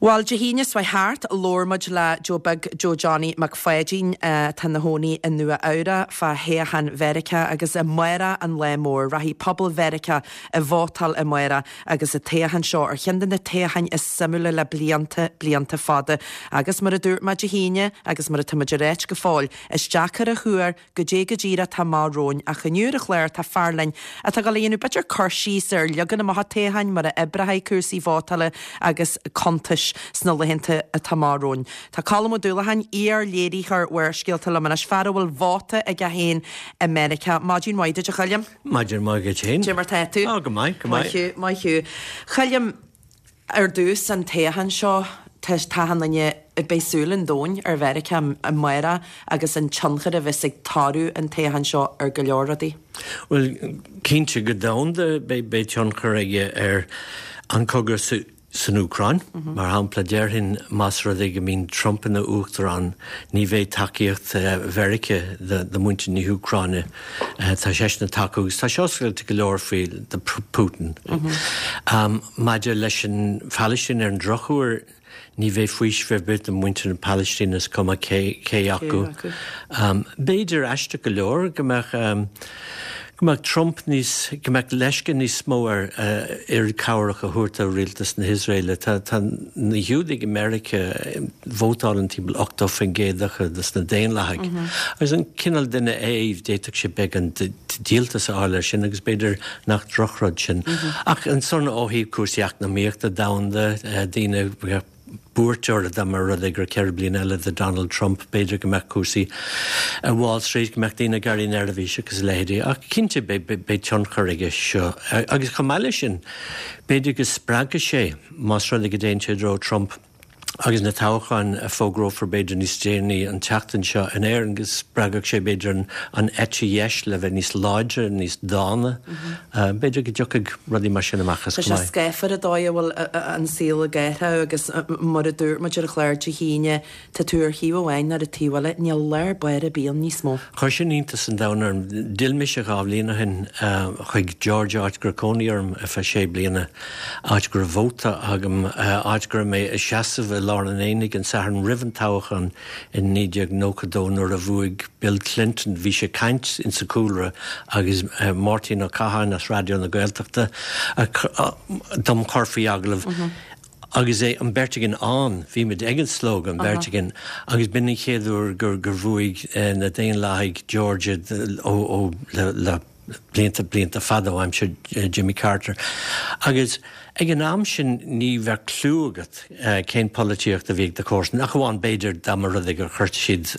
Bhuel, Dé hAoine seo chuaigh thart, labhair muid le Joe Beag Joe Johnny Mac Pháidín, atá ina chónaí i Nua Eabhrac, fá thoghchán Mheiriceá agus amárach an lá mór. Rachaidh pobal Mheiriceá ag vótáil amárach agus an toghchán seo ar cheann de na toghcháin is suimiúla le blianta, blianta fada. Agus mar a dúirt mé Dé hAoine, agus mar atá muid ag ráit go fóill, is deacair a thuar Goidé go díreach atá amach romhainn ach inniu ar an chlár tá fear linn atá ag dul a dhéanamh b'fhéidir cur síos ar leagan amach an toghcháin, mar a oibreoidh cúrsaí vótála agus cuntais sna laethanta atá amach romhainn. Tá Colm Ó Dúlacháin, iar-léiritheoir Bharrscéalta liom anois, fear a bhfuil vóta aige féin i Meiriceá. Maidin mhaith duit a Choilm. Maidin mhaith duit féin. Cad é mar tá tú? Á, go maith, go maith. Maith thú, maith thú. Choilm, Ar dtús, an toghchán seo, tá achan duine, beidh súil an domhain ar Mheiriceá amárach agus an tionchar a bheas ag toradh an toghcháin seo ar go leor rudaí. Bhuel, cinnte, go domhanda beidh tionchar aige ar an cogadh san Úcráin. Mar shampla, déarfainn más rud é go mbíonn Trump ina uachtarán, ní bheidh tacaíocht Mheiriceá do mhuintir na hÚcráine. Tá seisean ag tacú agus tá sé oscailte go leor faoi do Putin. Maidir leis an Phalaistín, ar an drochuair, ní bheidh faoiseamh ar bith do mhuintir na Palaistíne, is cuma cé acu. B'fhéidir, aisteach go leor, go mbeadh go mbeadh Trump níos, go mbeadh leisce níos mó air oiread cabhrach a thabhairt do rialtas na hIosraeile. Tá tá na Giúdaigh i Meiriceá, vótálann timpeall 80% acu dos na Daonlathaigh. Agus an cineál duine é, d'fhéadfadh sé beagán díoltas a fháil air sin agus b'fhéidir nach drochrud sin. Ach ansan ó thaobh cúrsaí eacnamaíochta domhanda, daoine bheadh buairt orthu dá mba rud é gur 4 bliana eile do Donald Trump, b'fhéidir go mbeadh cúrsaí ar Wall Street, go mbeadh daoine ag éirí neirbhíseach agus a leithéidí. Ach cinnte beidh tionchar aige seo. Agus chomh maith leis sin, b'fhéidir go spreagfaidh sé, más rud é go dtéann sé i dtreo Trump, agus na toghcháin a fógrófar b'fhéidir níos déanaí an tseachtain seo in Éirinn, go spreagfadh sé b'fhéidir an eite dheis le bheith níos láidre, níos dána. B'fhéidir go dtiocfaidh rudaí mar sin amach as Tá chomh sé maith. scáfar an dóigh a bhfuil an saol ag athrú agus mar a dúirt muid ar an chlár Dé hAoine, Tá tú ar thaobh amháin nó ar an taobh eile, níl lár báire ar bith ann níos mó. Chuir sin iontas an domhain orm. D'fhill mise 2 bhliain ó shin chuig Georgia, áit go raibh cónaí orm ar feadh sé bliana, áit go raibh vóta agam, áit go raibh mé ag seasamh i lár an aonaigh an Satharn roimh an toghchán in 1992 nuair a bhuaigh Bill Clinton. Bhí sé ag caint insa chúlra agus Máirtín Ó Catháin as Raidió na Gaeltachta dom chur faoi agallamh. Agus é, an bheirt againn ann, bhí muid ag an slógadh, an bheirt againn, agus b'in an chéad uair gur, gur bhuaigh na Daonlathaigh Georgia ó, ó, le, le blianta, blianta fada ó aimsir Jimmy Carter. Agus ag an am sin ní bheadh cliú agat cén polaitíocht a bhí ag do chomharsan, ach amháin b'fhéidir dá mba rud é gur chuir siad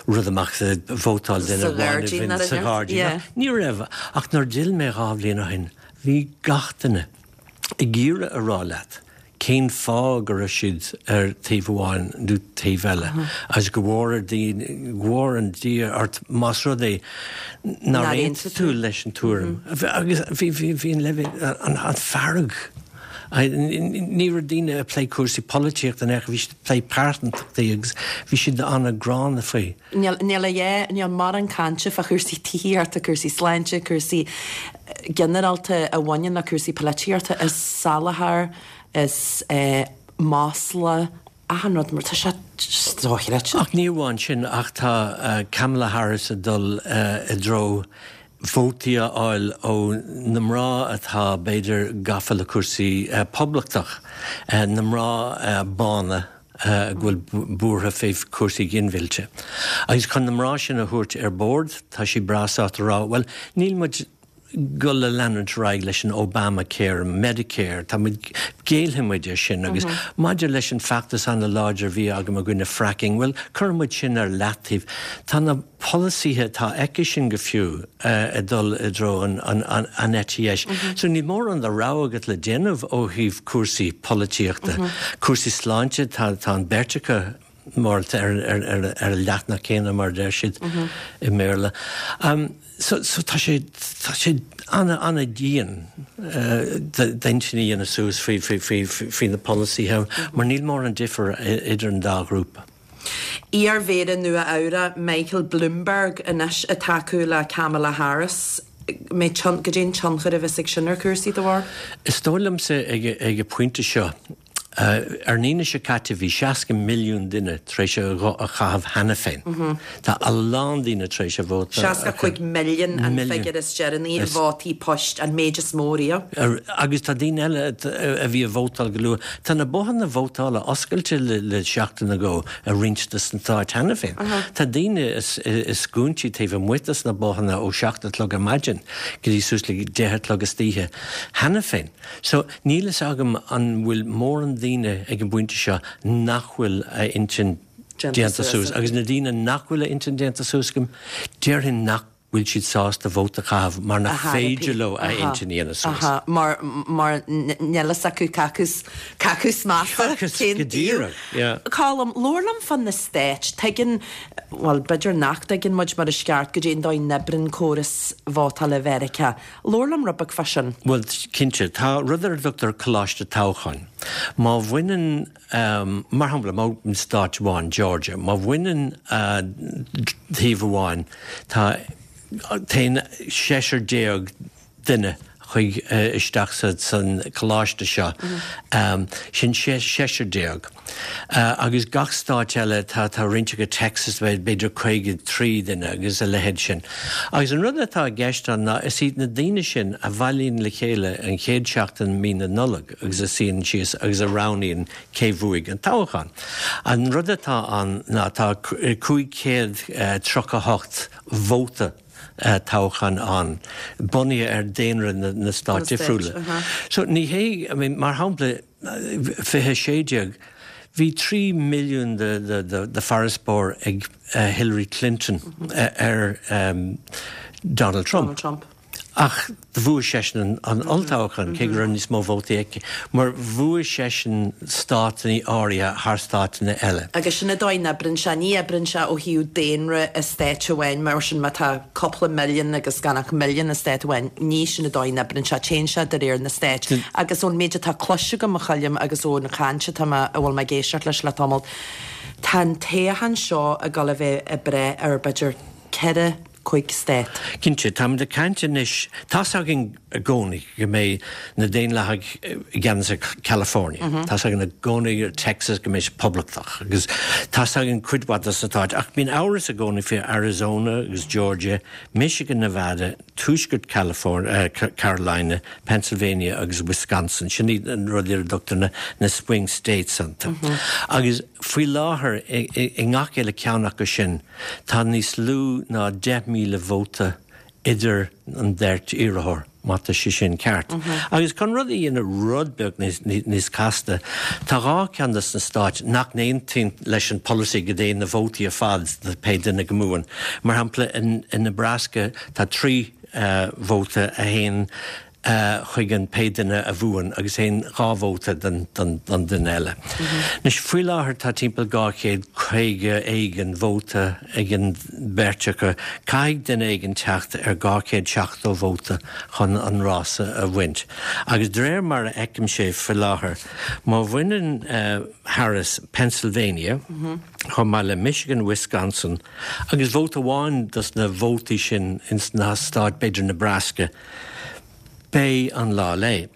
rud amach vótáil duine amháin sa ghairdín. Ní raibh, ach nuair a d'fhill mé 2 bhliain ó shin, bhí gach duine, ag iarraidh a rá leat cén fáth go raibh siad ar taobh amháin nó taobh eile agus go bhfóire go bhfóire an Dia ort más rud é nár aontaigh tú leis an tuairim. Agus bhí bhí bhí an leibhéal an an fearg ní raibh daoine ag plé cúrsaí polaitíochta in aon chor, bhí siad ag plé pearsantachtaí agus bhí siad an-ghránna faoi. Níl, níl a dhath, níl mórán cainte fá chúrsaí tithíochta, cúrsaí sláinte, cúrsaí ginearálta a bhaineann le cúrsaí polaitíochta, is salachar, is masla, achan rud mar tá sé just dochreidte. Ach ní amháin sin, ach tá Kamala Harris ag dul i dtreo vótaí a fháil ó na mná atá, b'fhéidir, gafa le cúrsaí poblachtach, na mná bána. go bhfuil buartha fé chúrsaí ginmhillte. Agus chun na mná sin a thabhairt ar bord, tá sí breá sásta a rá, bhuel, níl muid dul a leanúint ar aghaidh leis an Obamacare, Medicare, tá muid, géillfidh muid ar sin. Agus maidir leis an feachtas ana-láidir a bhí agam i gcoinne fracking, bhuel, cuirfidh muid sin ar leataobh. Tá na polasaithe atá aici sin go fiú ag dul i dtreo an eite dheis. So níl mórán de rogha agat le déanamh ó thaobh cúrsaí polaitíochta. Cúrsaí sláinte, tá an bheirt acu mórálta ar an leathanach céanna mar a deir siad i mBéarla. So tá sé tá sé ana-ana-dhian d'intinn a dhéanamh suas faoi na polasaithe mar níl mórán difear idir an dá ghrúpa. Iar-Mhéara Nua Eabhrac Michael Bloomberg anois ag tacú le Kamala Harris. Goidé an tionchar a bheas ag sin ar chúrsaí do bharr? Is dóigh liomsa ag an bpointe seo. Ar an Aoine seo caite bhí 60 milliún duine tar éis a ghuth a chaitheamh cheana féin. Tá a lán daoine tar éis a vóta a chaitheamh. 65 milliún an figiúr is deireanaí, vótaí poist, an méid is mó riamh. Agus tá daoine eile a bhí ag vótáil go luath. Tá na bothanna vótála oscailte le seachtain nó dhó i roinnt de na stáit cheana féin. Tá daoine i scuainí taobh amuigh de na bothanna ó 7 a chlog ar maidin go dtí suas le 10 a chlog istoíche cheana féin. So, níl fhios agam an bhfuil mórán daoine ag an bpointe seo nach bhfuil a intinn déanta suas. Agus na daoine nach bhfuil a intinn déanta suas acu, déarfainn nach bhfuil siad sásta vóta a chaitheamh mar nach féidir leo a intinn a dhéanamh suas. Aha, mar, mar níl fhios acu cé acu, cé acu is measa, cén Go díreach, yeah. Colm, labhair liom fá na stáit. Tuigeann, bhuel, b'fhéidir nach dtuigeann muid mar is ceart goidé an dóigh a n-oibríonn córas vótála Mheiriceá. Labhair liom rud beag fá sin. Bhuel, cinnte. Tá rud ar a dtugtar coláiste toghcháin. Má bhaineann, mar shampla, má stát amháin, Georgia, má bhaineann taobh amháin, tá, téann seisear déag duine chuig, isteach san coláiste seo. Sin seisear déag. Agus gach stáit eile, tá tá roinnt acu Texas, b'fhéidir 53 duine agus a leithéid sin. Agus an rud atá i gceist ann ná is iad na daoine sin a bhailíonn le chéile an chéad seachtain mí na Nollag agus a suíonn síos agus a roghnaíonn cé bhuaigh an toghchán. An rud atá ann ná tá 538 vóta toghcháin ann, bunaithe ar daonra na stát difriúla. So ní hé, I mean, mar shampla, 2016, bhí 3 milliún de farasbarr ag Hillary Clinton ar Donald Trump. Ach bhuaigh seisean an olltoghchán, cé go raibh níos mó vótaí aici, mar bhuaigh seisean státanna áirithe thar státanna eile. Agus sin an dóigh a n-oibríonn sé. Ní oibríonn sé ó thaobh daonra i stát amháin, mar sin má tá cúpla milliún agus gan ach milliún i stát amháin, ní sin an dóigh a n-oibríonn sé, téann sé de réir na stát. Agus ón méid atá cloiste agam, a Choilm, agus ón chaint atá mé, a bhfuil mé ag éisteacht leis le tamall, tá an toghchán seo ag dul a bheith ag brath ar b'fhéidir 4, 5 stát. Cinnte, táimid ag caint anois, tá's againn i gcónaí go mbeidh na Daonlathaigh i gceannas ar California, tá's againn i gcónaí ar Texas go mbeidh siad Poblachtach agus tá's againn cuid mhaith de na stáit ach bíonn amhras i gcónaí faoi Arizona agus Georgia, Michigan, Nevada, Tuaisceart California, Carolina, Pennsylvania agus Wisconsin, sin iad an rudaí ar a dtugtar na swing states iontu. Agus faoi láthair i ngach uile ceann acu sin, Tá níos lú ná 10,000 vóta idir an bheirt iarrthóir, má tá sé sin ceart. Agus chun rud a dhéanamh rud beag níos casta, tá dhá cheann de na stáit nach n-aontaíonn leis an polasaí go dtéann na vótaí ar fad do pé duine go mbuann. Mar shampla, i Nebraska tá 3 vóta a théann chuig an pé duine a bhuann agus théann 2 vóta don duine eile. Anois, faoi láthair tá timpeall 250 éigin vóta ag an bheirt acu. Caithfidh duine éigin teacht ar 270 vóta chun an rása a bhaint. Agus de réir mar a fheicimse faoi láthair, má bhaineann Harris Pennsylvania, chomh maith le Michigan, Wisconsin agus vóta amháin dos na vótaí sin ins na stáit, b'fhéidir Nebraska, Beidh an lá léi.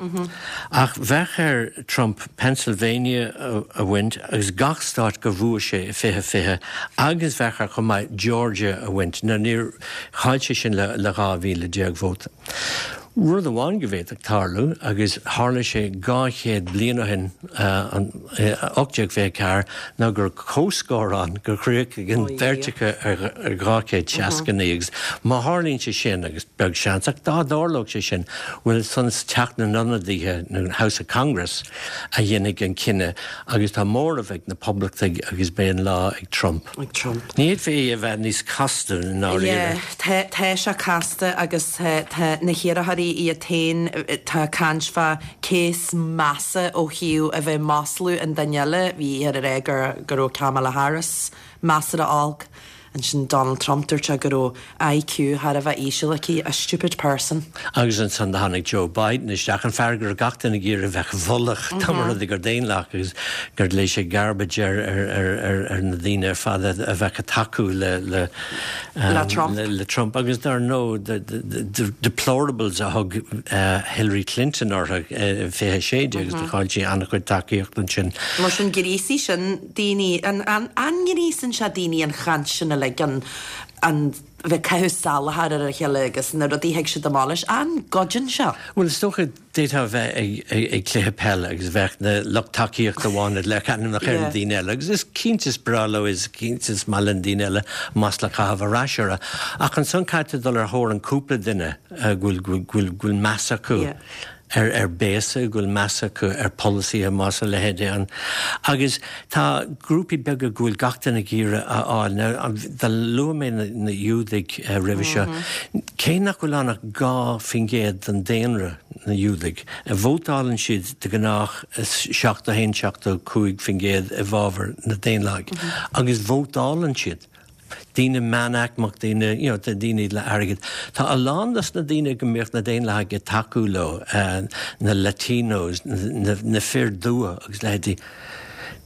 Ach bheadh ar Trump Pennsylvania a bhaint agus gach stát gur bhuaigh sé i 2020 agus bheadh air chomh maith Georgia a bhaint. Now níor chaill sé sin le 12,000 vóta. Rud amháin go bhféadfadh tarlú, agus tharla sé 200 bliain ó shin, 1824, ná gur comhscór ann, gur chríochnaigh an bheirt acu ar 269 agus má tharlaíonn sé sin, agus beag seans, ach dá dtarlódh sé sin, bhuel, ansan is Teach na nIonadaithe, nó House of Congress, a dhéanfaidh an cinneadh agus tá móramh ag na Poblachtaigh agus beidh an lá ag Trump. Ag Trump. Ní fhéadfaí é a bheith níos casta i ndáiríre. Yeah, tá, tá sé casta agus tá, tá na hiarrthóirí iad féin, tá caint fá cé is measa ó thaobh a bheith ag maslú an duine eile, bhí ag rá go, go raibh Kamala Harris measartha olc. Ansin Donald Trump, dúirt sé go raibh IQ thar a bheith íseal aici, a stupid person. Agus ansan do tháinig Joe Biden isteach, an fear go raibh gach duine ag iarraidh a bheith i bhfolach, dá mba rud é gur Daonlathach agus gur léigh sé garbage ar ar na daoine ar fad a bheadh ag tacú le le le Trump. le Trump. Agus dar ndóigh the deplorables a thug Hillary Clinton orthu i 2016 agus do chaill sí an-chuid tacaíocht ansin. Mar sin ghríosaigh sin daoine, an ngríosann sé daoine an chaint sin uilig, an an bheith ag caitheamh salachar ar a chéile agus na rudaí a thig siad amach leis, an gcoideann sé? Bhuel is dócha d'fhéadfá a bheith ag cluiche peile agus bheadh na lucht tacaíochta amháin ag léirchiú ainmneacha ar na daoine eile agus is cinnte is breá leo is cinnte is maith le na daoine eile masla a chaitheamh ar ais orthu. Ach ansan caithfidh tú dul ar thóir an cúpla duine go bhfuil meas acu. Ar ar béasa, go bhfuil meas acu ar pholasaithe más a leithéid é an. Agus tá grúpaí beaga go bhfuil gach duine ag iarraidh a fháil. Now, do luaigh mé na na Iúdaigh roimhe seo. Cé nach bhfuil ann ach 2% den daonra, na Iúdaigh, vótálann siad de ghnách 71, 75% i bhfabhar na Daonlathaigh. Agus vótálann siad. daoine meánaicmeach, daoine, you know, daoine le airgead. Tá a lán dos na daoine go mbíodh na Daonlathaigh ag tacú leo, na Latinos, na, na fir dubha agus leithéidí,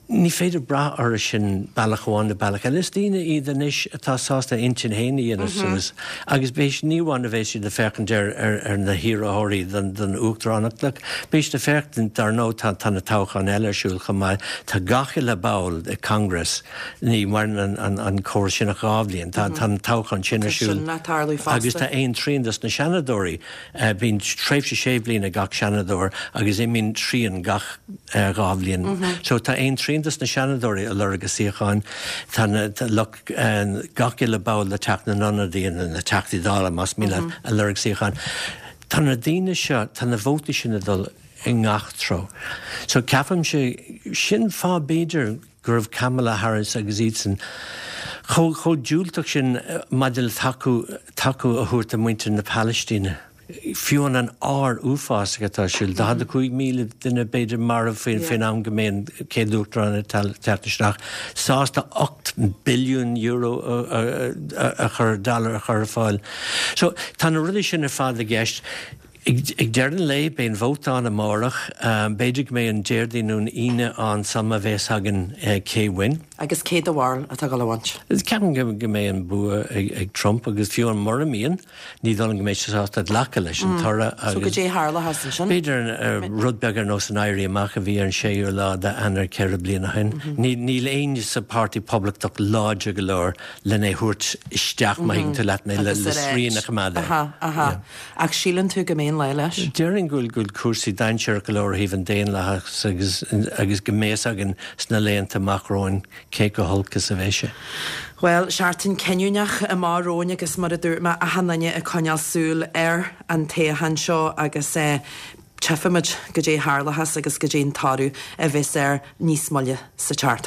ní féidir brath orthu sin bealach amháin nó bealach eile. Is daoine iad anois atá sásta a intinn féin a dhéanamh suas agus beidh, ní amháin a bheidh siad ag féachaint ar, ar, ar na hiarrthóirí don, don uachtaránacht, ach beidh siad ag féachaint, dar ndóigh, tá, tá na toghcháin eile ar siúl chomh maith, tá gach uile ball i Congress, Ní mhaireann an córas sin ach 2 bhliain. Tá an toghchán sin ar siúl agus tá aon trian dos na seanadóirí, bíonn tréimhse sé bhliain ag gach seanadóir agus imíonn trian gach 2 bhliain. So tá aon trian dos na seanadóirí ag lorg a suíocháin, tá na lucht gach uile ball de Teach na nIonadaithe, na Teachtaí Dála más mian leat, ag lorg suíocháin. Tá na daoine seo, tá na vótaí sin ag dul i ngach treo. So ceapaimse, sin fáth b'fhéidir, go raibh Kamala Harris agus iadsan chomh chomh diúltach sin maidir le tacú tacú a thabhairt do mhuintir na Palaistíne, fiú an an ár uafásach atá ar siúl, 45,000 duine b'fhéidir marbh faoin faoin am go mbeidh an chéad uachtarán ag teacht isteach, sásta €8 billiún a a chur dollar a chur ar fáil. So tá na rudaí sin ar fad i gceist. Ag deireadh an lae, beidh an vóta ann amárach. B'fhéidir go mbeidh an Déardaoin nó an Aoine ann sula mbeidh a fhios againn cé bhain. Agus cé do bharúil atá ag dul a bhaint? Ceapaim go mbeidh an bua ag Trump agus fiú amháin mura mbíonn, ní dóigh liom go mbeidh sé sásta glacadh leis an toradh agus. So goidé a tharlóchas ansin? B'fhéidir rud beag ar nós an Éirí Amach a bhí ar an séú lá d'Eanáir 4 bliana ó shin. Níl éinne sa Páirtí Poblachtach láidir go leor len é thabhairt isteach, má thuigeann tú leat mé, le srian a choimeád air. Aha, aha. Ach síleann tú go mbeidh an lá leis? Déarfainn go bhfuil cúrsaí dainséarach go leor ó thaobh an daonlathais agus agus go mbeidh a fhios againn sna laethanta amach romhainn cé chomh holc is a bheidh sé. Bhuel, seachtain cinniúnach amach romhainn agus mar a dúirt mé, achan duine ag coinneáil súil ar an toghchán seo agus tchífimid goidé a tharlóchas agus goidé an toradh a bheas air níos moille sa tseachtain.